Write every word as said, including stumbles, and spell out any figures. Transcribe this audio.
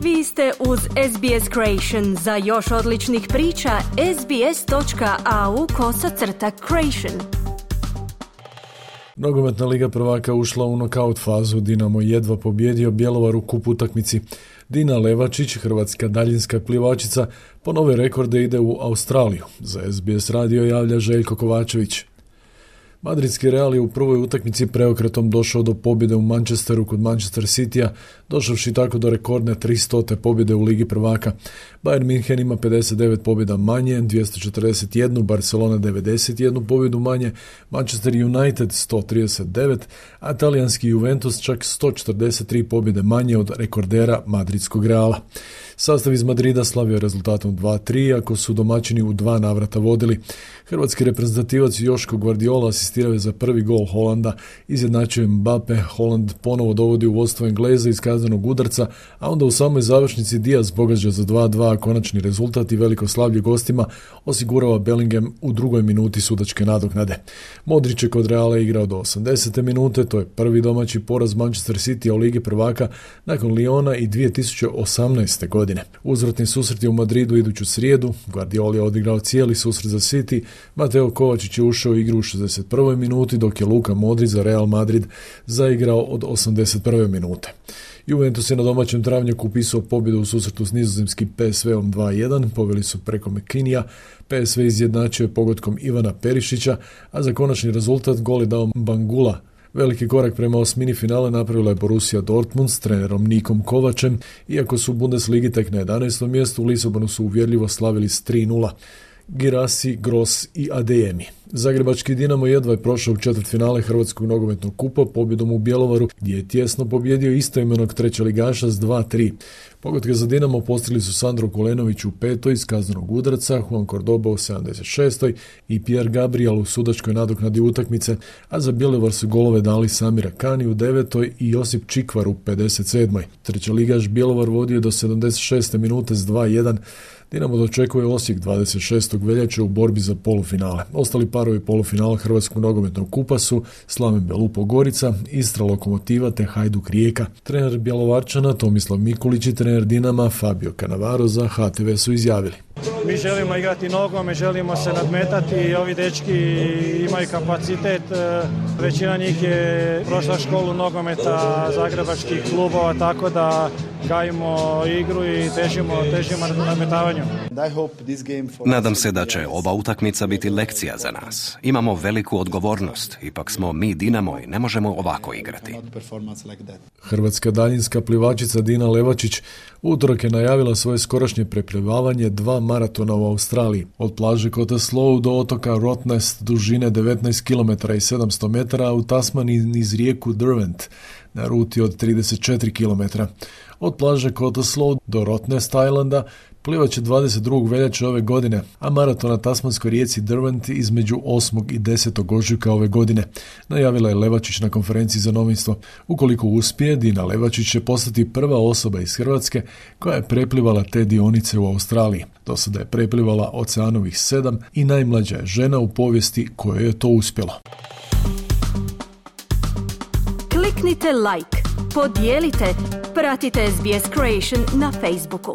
Vi ste uz S B S Creation. Za još odličnih priča, sbs.au kosacrta creation. Nogometna liga prvaka ušla u nokaut fazu. Dinamo jedva pobjedio Bjelovar u kup utakmici. Dina Levačić, hrvatska daljinska plivačica, po nove rekorde ide u Australiju. Za S B S radio javlja Željko Kovačević. Madridski Real je u prvoj utakmici preokretom došao do pobjede u Manchesteru kod Manchester Citya, došavši tako do rekordne tristote pobjede u Ligi prvaka. Bayern München ima pedeset devet pobjeda manje, dvjesto četrdeset jedan, Barcelona devedeset jedan pobjedu manje, Manchester United sto trideset devet, a talijanski Juventus čak sto četrdeset tri pobjede manje od rekordera madridskog Reala. Sastav iz Madrida slavio rezultatom dva tri, ako su domaćini u dva navrata vodili. Hrvatski reprezentativac Joško Guardiola asistirao je za prvi gol Holanda, izjednačio Mbappe, Holand ponovo dovodi u vodstvo Engleza iz kaznenog udarca, a onda u samoj završnici Diaz pogađa za dva dva, konačni rezultat i veliko slavlje gostima osigurava Bellingham u drugoj minuti sudačke nadoknade. Modrić je kod Reala igrao do osamdesete minute, to je prvi domaći poraz Manchester City u Ligi prvaka nakon Liona i dvije tisuće osamnaeste. godine. Uzvratni susret je u Madridu iduću srijedu, Guardiola je odigrao cijeli susret za City, Mateo Kovačić je ušao u igru u šezdeset prvoj minuti, dok je Luka Modrić za Real Madrid zaigrao od osamdeset prve minute. Juventus je na domaćem travnjaku upisao pobjedu u susretu s nizozemskim P S V-om dva jedan, poveli su preko McKinnija, P S V izjednačio je pogodkom Ivana Perišića, a za konačni rezultat gol je dao Bangula. Veliki korak prema osmini finale napravila je Borussia Dortmund s trenerom Nikom Kovačem, iako su u Bundesligi tek na jedanaestom mjestu, u Lisabonu su uvjerljivo slavili s tri nula. Girassi, Gross i Adeyemi. Zagrebački Dinamo jedva je prošao u četvrtfinale Hrvatskog nogometnog kupa pobjedom u Bjelovaru, gdje je tjesno pobjedio istoimenog trećeligaša s dva tri. Pogodke za Dinamo postigli su Sandro Kulenović u petoj iz kaznenog udarca, Juan Cordoba u sedamdeset šestoj i Pierre Gabriel u sudačkoj nadoknadi utakmice, a za Bjelovar su golove dali Samira Kani u devetoj i Josip Čikvar u pedeset sedmoj. Trećeligaš Bjelovar vodio do sedamdeset šeste minute s dva jedan. Dinamo dočekuje Osijek dvadeset šestog veljače u borbi za polufinale. Ostali parovi polufinala Hrvatskog nogometnog kupa su Slaven Belupo Gorica, Istra Lokomotiva te Hajduk Rijeka. Trener Bjelovarčana Tomislav Mikulić i trener Dinama Fabio Cannavaro za H T V su izjavili: Mi želimo igrati nogomet, želimo se nadmetati, ovi dečki imaju kapacitet, većina njih je prošla školu nogometa zagrebačkih klubova, tako da gajimo igru i težimo, težimo nadmetavanju. Nadam se da će ova utakmica biti lekcija za nas. Imamo veliku odgovornost, ipak smo mi Dinamo i ne možemo ovako igrati. Hrvatska daljinska plivačica Dina Levačić utorak je najavila svoje skorašnje preplivavanje dva maratona u Australiji. Od plaže Cottesloe do otoka Rottnest dužine devetnaest kilometara i sedamsto metara, a u Tasmaniji niz rijeku Derwent na ruti od trideset četiri kilometra. Od plaže Cottesloe do Rottnest Islanda plivat će dvadeset drugog veljače ove godine, a maraton na tasmanskoj rijeci Derwent između osmog i desetog ožujka ove godine, najavila je Levačić na konferenciji za novinstvo. Ukoliko uspije, Dina Levačić će postati prva osoba iz Hrvatske koja je preplivala te dionice u Australiji. Do sada je preplivala oceanovih sedam i najmlađa je žena u povijesti kojoj je to uspjelo. Kliknite like, podijelite, pratite S B S Creation na Facebooku.